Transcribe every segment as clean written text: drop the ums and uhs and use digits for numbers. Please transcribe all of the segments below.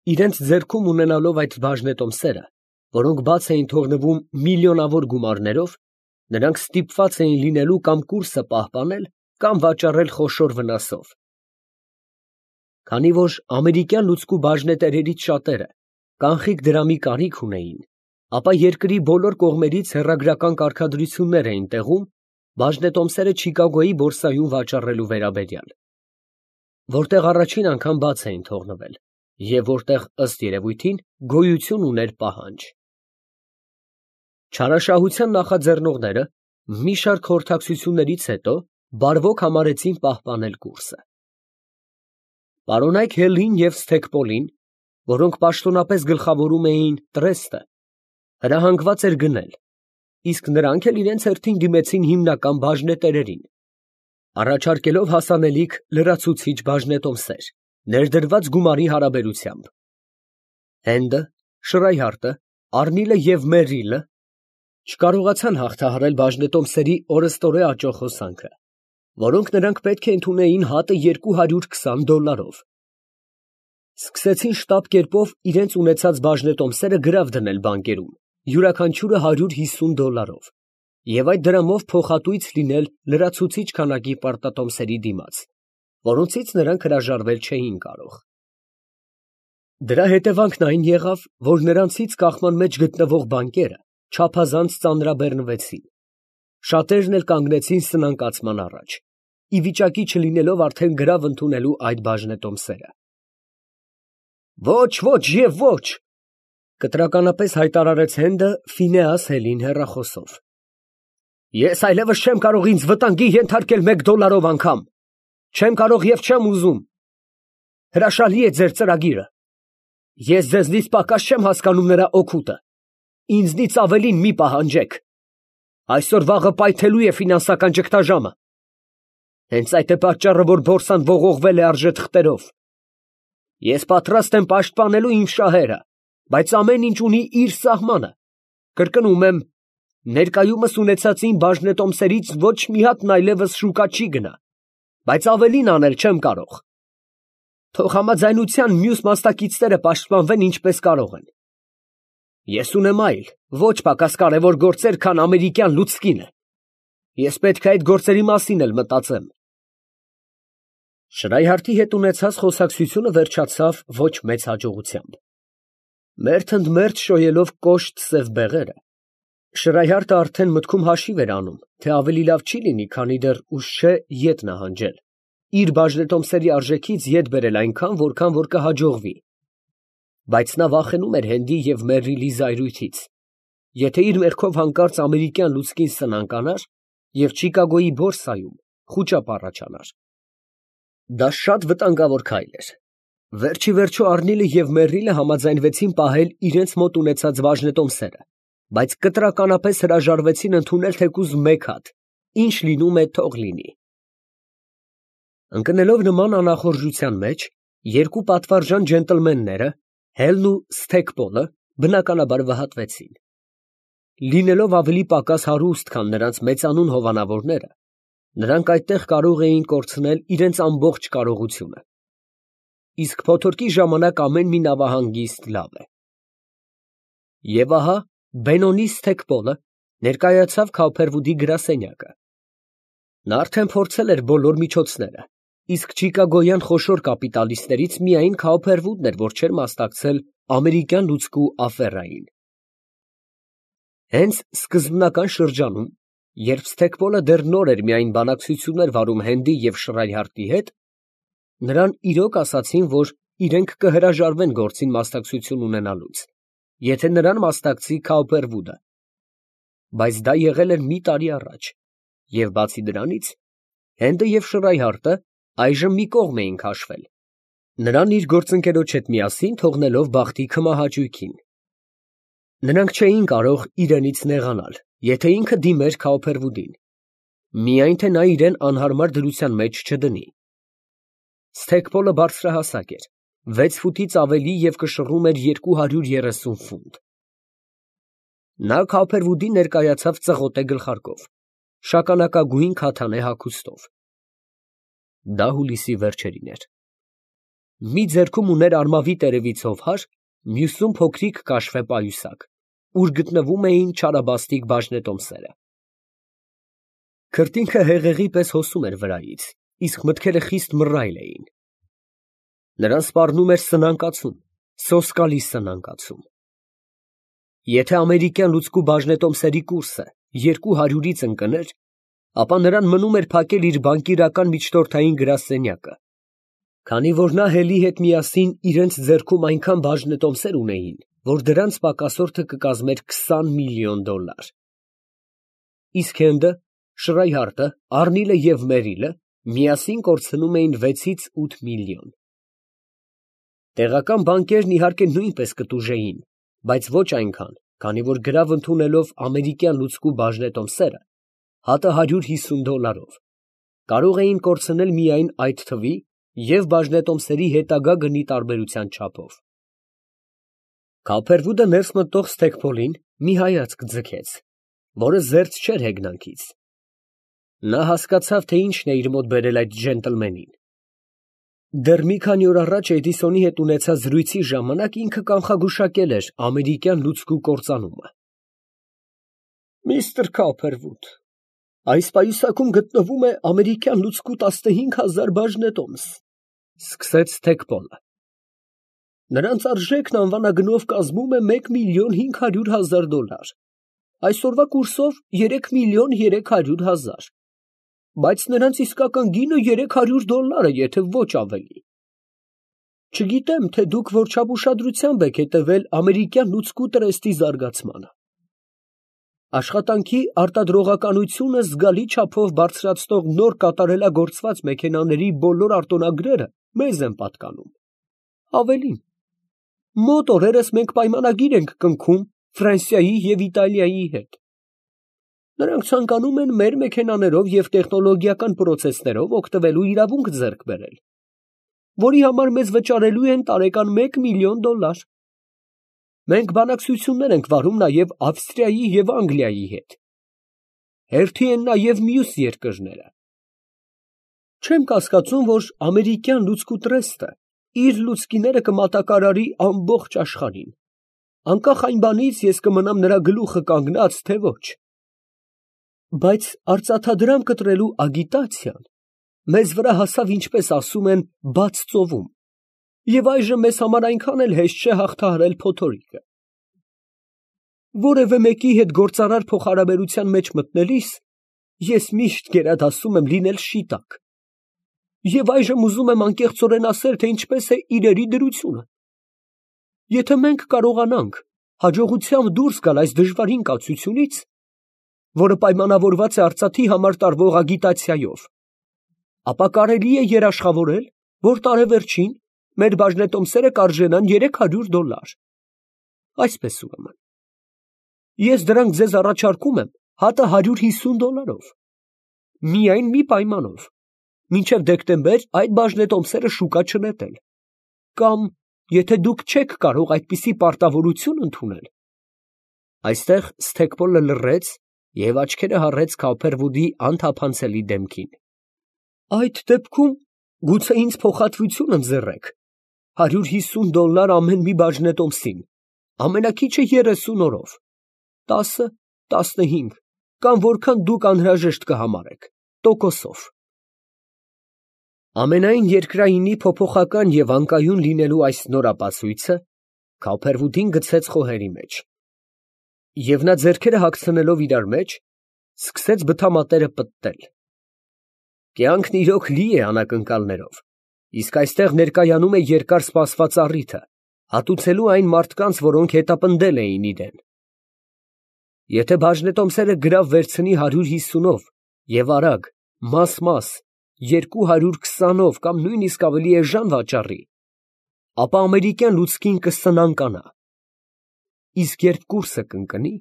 Իրենց ձեռքում ունենալով այդ բաժնետոմսերը, որոնք բաց էին թողնվում միլիոնավոր գումարներով, նրանք ստիպված էին լինելու կամ կուրսը պահպանել, կամ վաճառել խոշոր վնասով։ Քանի որ ամերիկյան լուծկու բաժնետերերից շատերը կանխիկ դրամի կարիք ունեին, ապա երկրի բոլոր կողմերից հեռագրական կարգադրություններ էին տեղում բաժնետոմսերը Չիկագոյի բորսայում վաճառելու վերաբերյալ, որտեղ առաջին անգամ բաց էին թողնվել և որտեղ, ըստ երևույթին, գոյություն ուներ պահանջ։ Չարաշահության նախաձեռնողները մի շարք խորհրդակցություններից հետո բարվոք համարեցին պահպանել կուրսը։ Պարոնայք Հելին և Սթեքպոլին, որոնք պաշտոնապես գլխավորում էին տրեստը, հրահանգված էր գնել, իսկ նրանք էլ իրենց հերթին դիմեցին հիմնական բաժնետերերին, առաջարկելով հասանելիք լրացուցիչ բաժնետոմսեր, ներդրված գումարի հարաբերությամբ։ Հենդը, Շրայհարտը, Առնիլը և Մերրիլը չկարողացան հաղթահարել բաժնետոմսերի օրըստօրե աճող հոսանքը, որոնք նրանք պետք է ընդունեին հատը $220։ Սկսեցին շտապ կերպով իրենց ունեցած բաժնետոմսերը գրավ դնել բանկերում, յուրաքանչյուրը $150, և այդ դրամով փոխհատույց լինել լրացուցիչ քանակի պարտատոմսերի դիմաց, որոնցից նրանք հրաժարվել չէին կարող։ Դրա հետևանքն այն եղավ, որ նրանցից կախման մեջ գտնվող բանկերը չափազանց ծանրաբեռնվեցին, շատերն էլ կանգնեցին սնանկացման առաջ, ի վիճակի չլինելով արդեն գրավ ընդունելու այդ բաժնետոմսերը։ «Ոչ, ոչ և ոչ», կտրականապես հայտարարեց Հենդը Ֆինեաս Հելին հեռախոսով։ «Ես այլևս չեմ կարող ինձ վտանգի ենթարկել $1 անգամ, չեմ կարող և չեմ ուզում։ Հրաշալի է ձեր ծրագիրը։ Ես ձեզնից պակաս չեմ հասկանում նրա օգուտը, ինձնից ավելին մի պահանջեք։ Այսօր֊վաղը պայթելու է ֆինանսական ճգնաժամը։ Հենց այդ է պատճառը, որ բորսան ողողվել է արժեթղթերով։ Ես պատրաստ եմ պաշտպանելու իմ շահերը, բայց ամեն ինչ ունի իր սահմանը։ Կրկնում եմ, ներկայումս ունեցածին բաժնետոմսերից ոչ մի հատն այլևս շուկա չի գնա, բայց ավելին անել չեմ կարող։ Թող համաձայնության մյուս մասնակիցները պաշտպանվեն ինչպես կարող են։ Ես ունեմ այլ, ոչ պակաս կարևոր գործեր, քան ամերիկյան լուցկինը։ Ես պետք է այդ գործերի մասին էլ մտածեմ։ Շրայհարտի հետ ունեցած խոսակցությունը վերջացավ ոչ մեծ հաջողությամբ։ Մերթ ընդ մերթ շոյելով կոշտ սև բեղերը, Շրայհարտը արդեն մտքում հաշիվ էր անում, թե ավելի լավ չի լինի, քանի դեռ ուշ չէ ետ նահանջել, իր բաժնետոմսերի արժեքից ետ բերել այնքան, որքան որ կհաջողվի, բայց նա վախենում էր Հենդի և Մերրիլի զայրույթից, եթե իր մեղքով հանկարծ ամերիկյան լուցկին սնանկանար և Չիկագոյի բորսայում խուճապ առաջանար։ Դա շատ վտանգավոր քայլ էր։ Վերջիվերջո Առնիլը և Մերրիլը համաձայնվեցին պահել իրենց մոտ ունեցած բաժնետոմսերը, բայց կտրականապես հրաժարվեցին ընդունել թեկուզ մեկ հատ, ինչ լինում է թող լինի։ Ընկնելով նման անախորժության մեջ, երկու պատվարժան ջենտլմենները, Հելն ու Սթեքպոլը, բնականաբար վհատվեցին։ Լինելով ավելի պակաս հարուստ, քան նրանց մեծանուն հովանավորները, նրանք այդտեղ կարող էին կորցնել իրենց ամբողջ կարողությունը։ Իսկ փոթորկի ժամանակ ամեն մի նավահանգիստ լավ է։ Եվ ահա Բենոնի Սթեքպոլը ներկայացավ Քաուփերվուդի գրասենյակը։ Նա արդեն փորձել էր բոլոր միջոցները, իսկ չիկագոյան խոշոր կապիտալիստներից միայն Քաուփերվուդն էր, որ չէր մասնակցել ամերիկյան լուծկու աֆերային։ Հենց սկզբնական շրջանում, երբ Սթեքպոլը դեռ նոր էր միայն բանակցություններ վարում Հենդի և Շրայհարտի հետ, նրան իրոք ասացին, որ իրենք կհրաժարվեն գործին մասնակցություն ունենալուց, եթե նրան մասնակցի Քաուփերվուդը, բայց դա եղել էր մի տարի առաջ, և բացի դրանից, Հենդը և Շրայհարտը այժմ մի կողմ էին քաշվել, նրան իր գործընկերոջ հետ միասին թողնելով բախտի քմահաճույքին։ Նրանք չէին կարող իրենից նեղանալ, եթե ինքը դիմեր Քաուփերվուդին, միայն թե նա իրեն անհարմար դրության մեջ չդնի։ Սթեքպոլը բարձրահասակ էր, 6 ֆուտից ավելի և կշռում էր 230 ֆունտ։ Նա Քաուփերվուդին ներկայացավ ծղոտե գլխարկով, շագանակագույն քաթանե հագուստով։ Դա հուլիսի վերջերին էր։ մի ձեռքում ուներ արմավի տերևից հովհար, մյուսում փոքրիկ կաշվե պայուսակ, ուր գտնվում էին չարաբաստիկ բաժնետոմսերը։ Քրտինքը հեղեղի պես հոսում էր վրայից, իսկ մտքերը խիստ մռայլ էին։ Նրան սպառնում էր սնանկացում, սոսկալի սնանկացում։ Եթե ամերիկյան լուծկու բաժնետոմսերի կուրսը 200-ից ընկներ, ապա նրան մնում էր փակել իր բանկիրական միջնորդային գրասենյակը, քանի որ նա Հելի հետ միասին իրենց ձեռքում այնքան բաժնետոմսեր ունեին, որ դրանց պակասորթը կկազմեր $20 միլիոն։ Իսկ Հենդը, Շրայհարտը, Առնիլը և Մերիլը միասին կորցնում էին 6-ից 8 միլիոն։ Տեղական բանկերն իհարկե նույնպես կտուժեին, բայց ոչ այնքան, քանի որ գրավ ընդունելով ամերիկյան լուծկու բաժնետոմսերը, հատը $150, կարող էին կորցնել միայն այդ թվի և բաժնետոմսերի հետագա գնի տարբերության չափով։ Քոփերվուդը ներս մտող Սթեքփոլին մի հայացք ձգեց, որը զերծ չէր հեգնանքից։ Նա հասկացավ, թե ինչն է իր մոտ բերել այդ ջենտլմենին։ Դեռ մի քանի օր առաջ Էդիսոնի հետ ունեցած զրույցի ժամանակ ինքը կանխագուշակել էր ամերիկյան լուծկու կործանումը։ Միստր Քոփերվուդ, այս պայուսակում գտնվում է ամերիկյան լուծկու 15,000 բաժնետոմս, սկսեց Սթեքփոլը։ Նրանց արժեքն անվանագնով կազմում է $1,500,000, այսօրվա կուրսով $3,300,000, բայց նրանց իսկական գինը $300, եթե ոչ ավելի։ Չգիտեմ, թե դուք որչափ ուշադրությամբ եք հետևել ամերիկյան լուծկու տրեստի զարգացմանը։ Աշխատանքի արտադրողականությունը զգալի չափով բարձրացնող նոր կատարելագործված մեքենաների բոլոր արտոնագրերը մեզ են պատկանում։ Ավելին, մոտ օրերս մենք պայմանագիր ենք կնքում Ֆրանսիայի և Իտալիայի հետ։ Նրանք ցանկանում են մեր մեքենաներով և տեխնոլոգիական պրոցեսներով օգտվելու իրավունք ձեռք բերել, որի համար մեզ վճարելու են տարեկան $1 միլիոն։ Մենք բանակցություններ ենք վարում նաև Ավստրիայի և Անգլիայի հետ։ Հերթի են նաև մյուս երկրները։ Չեմ կասկածում, որ ամերիկյան լուծկու տրեստը իր լուծկիները կմատակարարի ամբողջ աշխարհին, անկախ այն բանից ես կմնամ նրա գլուխը կանգնած, թե ոչ։ Բայց արծաթադրամ կտրելու ագիտացիան մեզ վրա հասավ, ինչպես ասում են, բաց ծովում, և այժմ մեզ համար այնքան էլ հեշտ չէ հաղթահարել փոթորիկը։ Որևէ մեկի հետ գործարար փոխհարաբերության մեջ մտնելիս ես միշտ գերադասում եմ լինել շիտակ, և այժմ ուզում եմ անկեղծորեն ասել, թե ինչպես է իրերի դրությունը։ Եթե մենք կարողանանք հաջողությամբ դուրս գալ այս դժվարին կացությունից, որը պայմանավորված է արծաթի համար տարվող ագիտացիայով, ապա կարելի է երաշխավորել, որ տարեվերջին մեր բաժնետոմսերը կարժենան $300։ Այսպես ուրեմն, ես դրանք ձեզ առաջարկում եմ հատը $150, միայն մի պայմանով, մինչև դեկտեմբեր այդ բաժնետոմսերը շուկա չնետել, կամ եթե դուք չեք կարող այդպիսի պարտավորություն ընդունել։ Այստեղ Սթեքպոլը լռեց և աչքերը հառեց Քոփերվուդի անթափանցելի դեմքին։ Այդ դեպքում գուցե ինձ փոխհատվություն ընձեռեք $150 ամեն մի բաժնետոմսին, ամենաքիչը 30 օրով, 10, 15, կամ որքան դուք անհրաժեշտ կհամարեք, տոկոսով։ Ամենայն երկրայինի փոփոխական և անկայուն լինելու այս նոր ապացույցը Քոփերվուդին գցեց խոհերի մեջ, և նա ձեռքերը հագցնելով իրար մեջ, սկսեց բթամատերը պտտել։ Կյանքն իրոք լի է անակնկալներով, իսկ այստեղ ներկայանում է երկար սպասված առիթը, հատուցելու այն մարդկանց, որոնք հետապնդել էին իրեն։ Եթե բաժնետոմսերը գրավ վերցնի 150-ով և արագ, մաս, 220-ով կամ նույնիսկ ավելի էժան վաճառի, ապա ամերիկյան լուծկին կսնանկանա։ Իսկ երբ կուրսը կընկնի,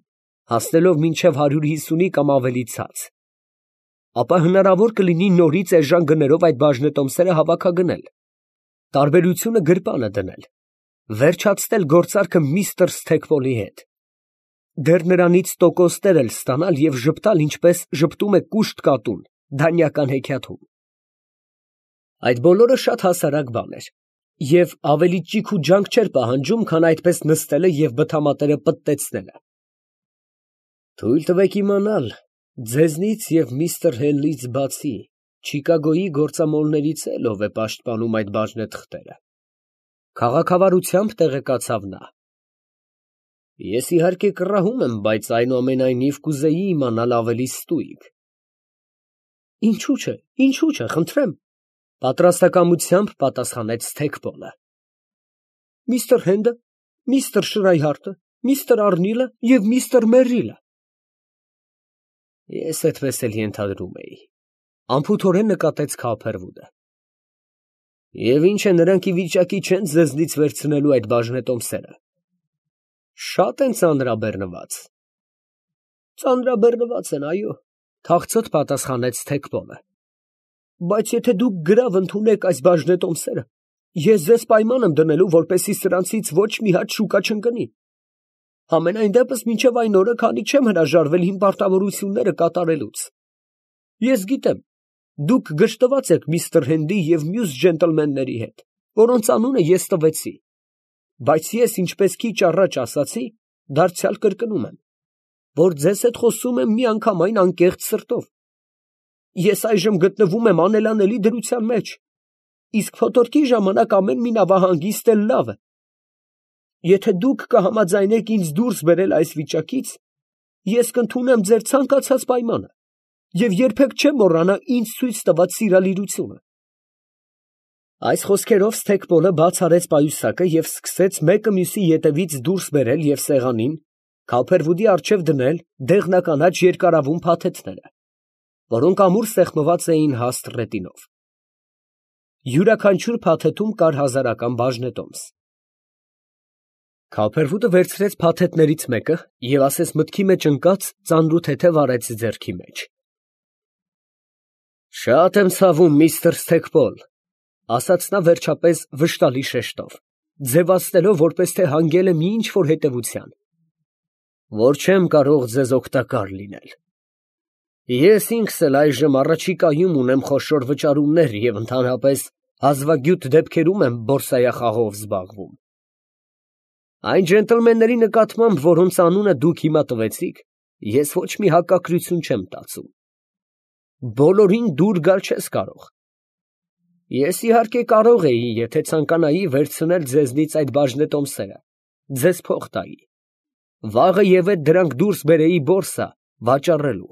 հասնելով մինչև 150-ի կամ ավելի ցած, ապա հնարավոր կլինի նորից էժան գներով այդ բաժնետոմսերը հավաքագնել, տարբերությունը գրպանը դնել, վերջացնել գործարքը միստր Սթեքպոլի հետ, դեռ նրանից տոկոսներ էլ ստանալ և ժպտալ, ինչպես ժպտում է կուշտ կատուն դանյական հեքիաթում։ Այդ բոլորը շատ հասարակ բան էր, Եվ ավելի ճիք ու ջանք չէր պահանջում, քան այդպես նստելը և բթամատերը պտտեցնելը։ Թույլ տվեք իմանալ, ձեզնից և միստր Հենլից բացի Չիկագոյի գործամոլներից էլ ով է պաշտպանում այդ բաժնեթղթերը, քաղաքավարությամբ տեղեկացավ նա։ Ես իհարկե կռահում եմ, բայց այնուամենայնիվ կուզեի իմանալ ավելի ստույգ։ Ինչու՞ չէ, խնդրեմ, պատրաստակամությամբ պատասխանեց Սթեքպոլը։ Միստր Հենդը, միստր Շրայհարտը, միստր Արնիլը և միստր Մերրիլը։ Ես այդպես էլ ենթադրում էի, անփութորեն նկատեց Քալփերվուդը։ Եվ ինչ է, նրանք ի վիճակի չեն ձեզնից վերցնելու այդ բաժնետոմսերը։ Շատ են ծանրաբեռնված։ Ծանրաբեռնված են, այո, թախծոտ պատասխանեց Սթեքպոլը։ Բայց եթե դուք գրավ ընդունեք այս բաժնետոմսերը, ես ձեզ պայման եմ դնելու, որպեսզի սրանցից ոչ մի հատ շուկա չընկնի։ Համենայն դեպս մինչև այն օրը, քանի չեմ հրաժարվել իմ պարտավորությունները կատարելուց։ Ես գիտեմ, դուք գժտված եք միստր Հենդի և մյուս ջենտլմենների հետ, որոնց անունը ես տվեցի, բայց ես, ինչպես քիչ առաջ ասացի, դարձյալ կրկնում եմ, որ ձեզ հետ խոսում եմ միանգամայն անկեղծ սրտով։ Ես այժմ գտնվում եմ անելանելի դրության մեջ, իսկ փոթորկի ժամանակ ամեն մի նավահանգիստ էլ լավ է։ Եթե դուք կհամաձայնեք ինձ դուրս բերել այս վիճակից, ես կընդունեմ ձեր ցանկացած պայմանը և երբեք չեմ մոռանա ինձ ցույց տված սիրալիրությունը։ Այս խոսքերով Սթեքպոլը բաց արեց պայուսակը և սկսեց մեկը մյուսի ետևից դուրս բերել և սեղանին, Քալփերվուդի առջև դնել դեղնականաչ երկարավուն փաթեթները, որոնք ամուր սեղմված էին հաստ ռետինով։ Յուրաքանչյուր փաթեթում կար 1000-ական բաժնետոմս։ Քալփերվուդը վերցրեց փաթեթներից մեկը և ասես մտքի մեջ ընկած ծանրութեթև արեց ձեռքի մեջ։ Շատ եմ ցավում, միստր Սթեքպոլ, ասաց նա վերջապես վշտալի շեշտով, ձևացնելով, որպես թե հանգել է մի ինչ֊որ հետևության, որ չեմ կարող ձեզ օգտակար լինել։ Ես ինքս էլ այժմ առաջիկայում ունեմ խոշոր վճարումներ և ընդհանրապես հազվագյուտ դեպքերում եմ բորսայախաղով զբաղվում։ Այն ջենտլմենների նկատմամբ, որոնց անունը դուք հիմա տվեցիք, ես ոչ մի հակակրություն չեմ տածում։ Բոլորին դուր գալ չես կարող։ Ես իհարկե կարող էի, եթե ցանկանայի, վերցնել ձեզնից այդ բաժնետոմսերը, ձեզ փող տայի, վաղը և ետ դրանք դուրս բերեի բորսա, վաճառելու,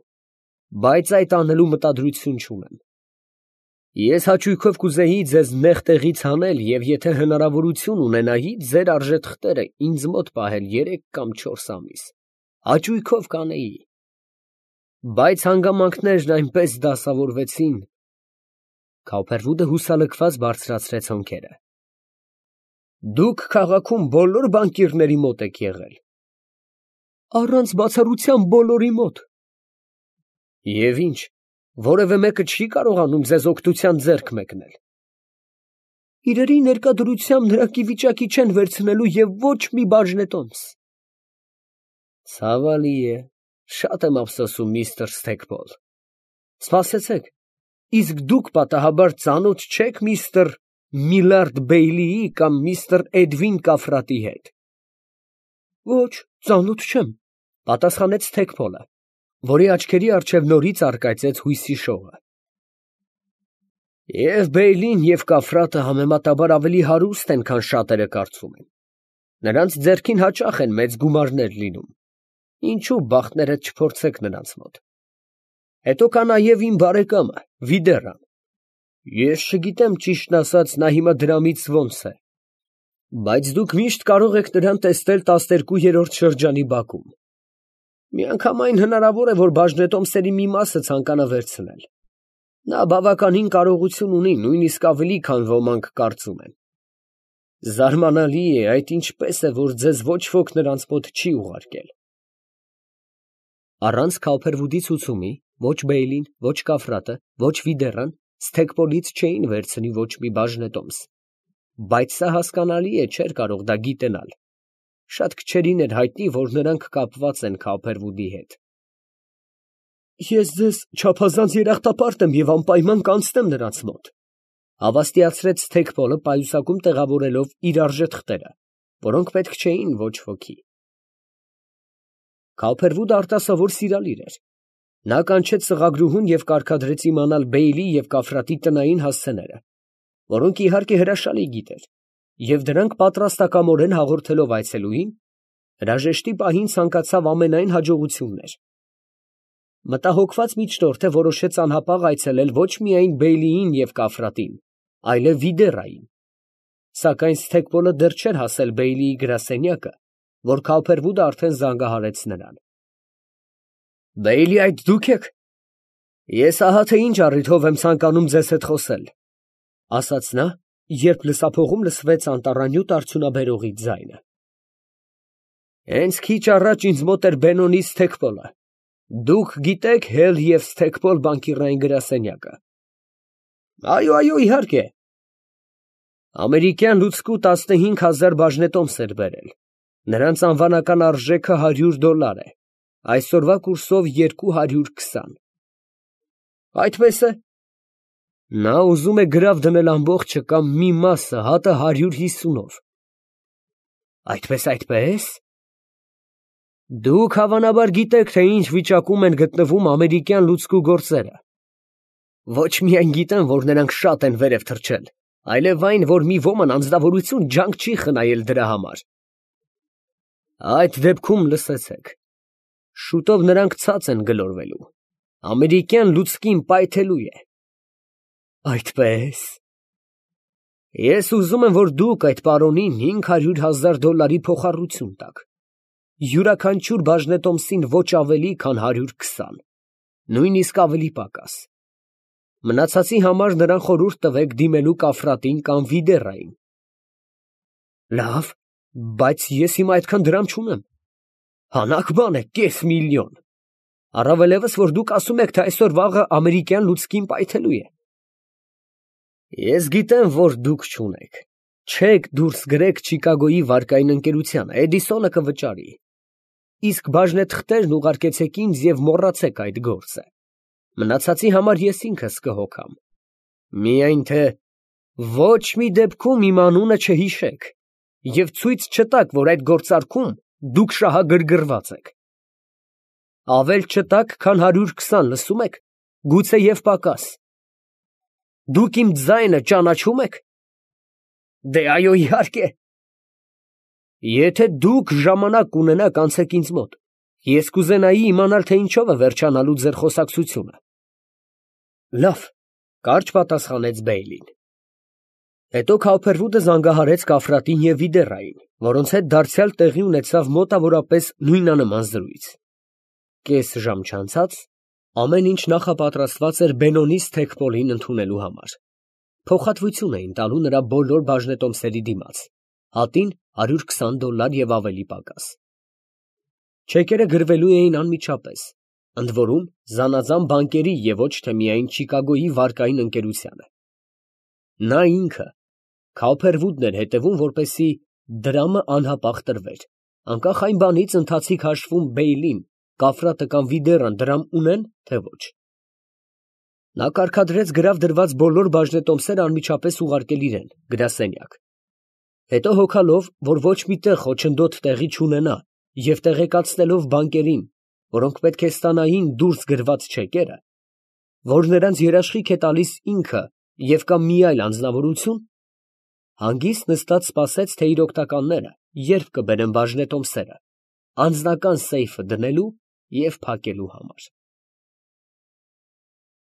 բայց այդ անելու մտադրություն չունեմ։ Ես հաճույքով կուզեի ձեզ նեղ տեղից հանել և եթե հնարավորություն ունենայի, ձեր արժեթղթերը ինձ մոտ պահել 3 կամ 4 ամիս, հաճույքով կանեի։ Բայց հանգամանքներն այնպես դասավորվեցին… Քալփերվուդը հուսալքված բարձրացրեց հոնքերը։ Դուք քաղաքում բոլոր բանկիրների մոտ եք եղել։ Առանց բացառության բոլորի մոտ։ Եվ ինչ, որևէ մեկը չի կարողանում ձեզ օգնության ձեռք մեկնել։ Իրերի ներկա դրությամբ նրանք ի վիճակի չեն վերցնելու և ոչ մի բաժնետոմս։ Ցավալի է, շատ եմ ափսոսում, միստր Սթեքպոլ։ Սպասեցեք, իսկ դուք պատահաբար ծանոթ չեք միստր Միլարդ Բեյլիի կամ միստր Էդվին Կաֆրատի հետ։ Ոչ, ծանոթ չեմ, պատասխանեց Սթեքպոլը, որի աչքերի առջև նորից առկայծեց հույսի շողը։ Եվ Բեյլին և Կաֆրատը համեմատաբար ավելի հարուստ են, քան շատերը կարծում են. նրանց ձեռքին հաճախ են մեծ գումարներ լինում, ինչու բախտներդ չփորձեք նրանց մոտ։ Հետո կա նաև իմ բարեկամը Վիդեռան, ես չգիտեմ, ճիշտն ասած, նա հիմա դրամից ոնց է, բայց դուք միշտ կարող եք նրան տեսնել 12-րդ շրջանի բակում։ Միանգամայն հնարավոր է, որ բաժնետոմսերի մի մասը ցանկանա վերցնել։ Նա բավականին կարողություն ունի, նույնիսկ ավելի, քան ոմանք կարծում են։ Զարմանալի է, այդ ինչպես է, որ ձեզ ոչ ոք նրանց մոտ չի ուղարկել։ Առանց Քալփերվուդի ցուցումի ոչ Բեյլին, ոչ Կաֆրատը, ոչ Վիդեռան Սթեքպոլից չէին վերցնի ոչ մի բաժնետոմս, բայց սա հասկանալի է, չէր կարող դա գիտենալ։ Շատ քչերին էր հայտնի, որ նրանք կապված են Քալփերվուդի հետ։ Ես ձեզ չափազանց երախտապարտ եմ և անպայման կանցնեմ նրանց մոտ, Հավաստիացրեց Սթեփոլը պայուսակում տեղավորելով իր արժե թղթերը, որոնք պետք չէին ոչ ոքի։ Քալփերվուդը արտասովոր սիրալիր էր։ Նա կանչեց սղագրուհուն և կարգադրեց իմանալ Բեյլի և Կաֆրատի տնային հասցեները, որոնք իհարկե հրաշալի գիտեր, և դրանք պատրաստակամորեն հաղորդելով այցելուին, հրաժեշտի պահին ցանկացավ ամենայն հաջողություններ։ Մտահոգված միջնորդը որոշեց անհապաղ այցելել ոչ միայն Բեյլիին և Կաֆրատին, այլև Վիդեռային, սակայն Սթեփոլը դեռ չէր հասել Բեյլիի գրասենյակը, որ Քալփերվուդը արդեն զանգահարեց նրան։ Բեյլի, այդ դուք եք։ Ես ահա թե ինչ առիթով եմ ցանկանում ձեզ հետ խոսել, ֊ ասաց նա, երբ լսափողում լսվեց անտառանյութ արդյունաբերողի ձայնը։ Հենց քիչ առաջ ինձ մոտ էր Բենոնի Սթեփոլը։ Դուք գիտեք Հել և Սթեփոլ բանկիրային գրասենյակը։ Այո, իհարկե։ Ամերիկյան լուծկու 15,000 բաժնետոմս էր բերել։ Նրանց անվանական արժեքը $100 է, այսօրվա կուրսով 220։ Այդպես է։ Նա ուզում է գրավ դնել ամբողջը կամ մի մասը, հատը 150-ով։ Այդպես։ Դուք հավանաբար գիտեք, թե ինչ վիճակում են գտնվում ամերիկյան լուծկու գործերը։ Ոչ միայն գիտեմ, որ նրանք շատ են վերև թռչել, այլև այն, որ մի ոմն անձնավորություն ջանք չի խնայել դրա համար։ Այդ դեպքում լսեցեք։ Շուտով նրանք ցած են գլորվելու։ Ամերիկյան լուծկին պայթելու է։ Այդպես։ Ես ուզում եմ, որ դուք այդ պարոնին $500,000 փոխառություն տաք։ Յուրաքանչյուր բաժնետոմսին ոչ ավելի, քան 120, նույնիսկ ավելի պակաս։ Մնացածի համար նրան խորհուրդ տվեք դիմելու Կաֆրատին կամ Վիդեռային։ Լավ, բայց ես հիմա այդքան դրամ չունեմ։ Հանաք բան է, $500,000։ Առավելևս, որ դուք ասում եք, թե այսօր֊վաղը ամերիկյան լուծկին պայթելու է։ Ես գիտեմ, որ դուք չունեք։ Չեք դուրս գրեք Չիկագոյի վարկային ընկերությանը, Էդիսոնը կվճարի։ Իսկ բաժնեթղթերն ուղարկեցեք ինձ և մոռացեք այդ գործը։ Մնացածի համար ես ինքս կհոգամ։ Միայն թե ոչ մի դեպքում իմ անունը չհիշեք և ցույց չտաք, որ այդ գործարքում դուք շահագրգռված եք։ Ավել չտաք, քան 120, լսում եք, գուցեև պակաս։ Դուք իմ ձայնը ճանաչում եք։ Դե այո, իհարկե։ Եթե դուք ժամանակ կունենաք, անցեք ինձ մոտ։ Ես կուզենայի իմանալ, թե ինչով է վերջանալու ձեր խոսակցությունը։ Լավ, կարճ պատասխանեց Բեյլին։ Հետո Քալփերվուդը զանգահարեց Կաֆրատին և Վիդեռային, որոնց հետ դարձյալ տեղի ունեցավ մոտավորապես նույնանման զրույց։ Կես ժամ չանցած ամեն ինչ նախապատրաստված էր Բենոնի Սթեփոլին ընդունելու համար։ Փոխհատվություն էին տալու նրա բոլոր բաժնետոմսերի դիմաց, հատին $120 և ավելի պակաս։ Չեկերը գրվելու էին անմիջապես, ընդ որում զանազան բանկերի և ոչ թե միայն Չիկագոյի վարկային ընկերությանը։ Նա ինքը, Քալփերվուդն էր հետևում, որպեսզի դրամը անհապաղ տրվեր, անկախ այն բանից ընթացիկ հաշվում Բեյլին, Կաֆրատը կամ Վիդեռան դրամ ունեն, թե ոչ։ Նա կարգադրեց գրավ դրված բոլոր բաժնետոմսերը անմիջապես ուղարկել իրեն գրասենյակ։ Հետո հոգալով, որ ոչ մի տեղ խոչընդոտ տեղի չունենա և տեղեկացնելով բանկերին, որոնք պետք է ստանային դուրս գրված չեկերը, որ նրանց երաշխիք է տալիս ինքը և կամ մի այլ անձնավորություն, հանգիստ նստած սպասեց, թե իր օգնականները երբ կբերեն բաժնետոմսերը, անձնական սեյֆը դնելու և փակելու համար։